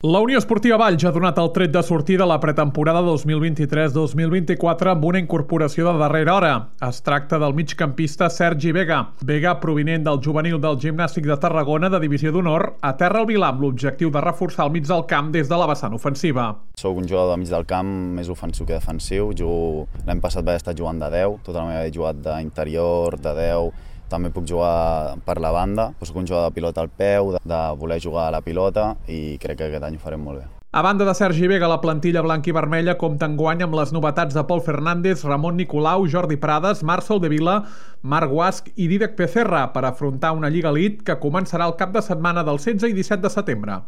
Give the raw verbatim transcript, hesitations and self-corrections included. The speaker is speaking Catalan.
La Unió Esportiva Valls ha donat el tret de sortida a la pretemporada dos mil vint-i-tres dos mil vint-i-quatre amb una incorporació de darrera hora. Es tracta del migcampista Sergi Vega. Vega, provinent del juvenil del Gimnàstic de Tarragona de Divisió d'Honor, aterra al Vilà amb l'objectiu de reforçar el mig del camp des de la vessant ofensiva. Soc un jugador de mig del camp més ofensiu que defensiu. L'any passat vaig estar jugant de deu, tota la meva he jugat d'interior, de deu. També puc jugar per la banda, soc un jugador de pilota al peu, de voler jugar a la pilota i crec que aquest any ho farem molt bé. A banda de Sergi Vega, la plantilla blanca i vermella compta enguany amb les novetats de Pol Fernández, Ramon Nicolau, Jordi Prades, Marc Soldevila, Marc Guasch i Dídac Becerra per afrontar una Lliga Elite que començarà el cap de setmana del setze i disset de setembre.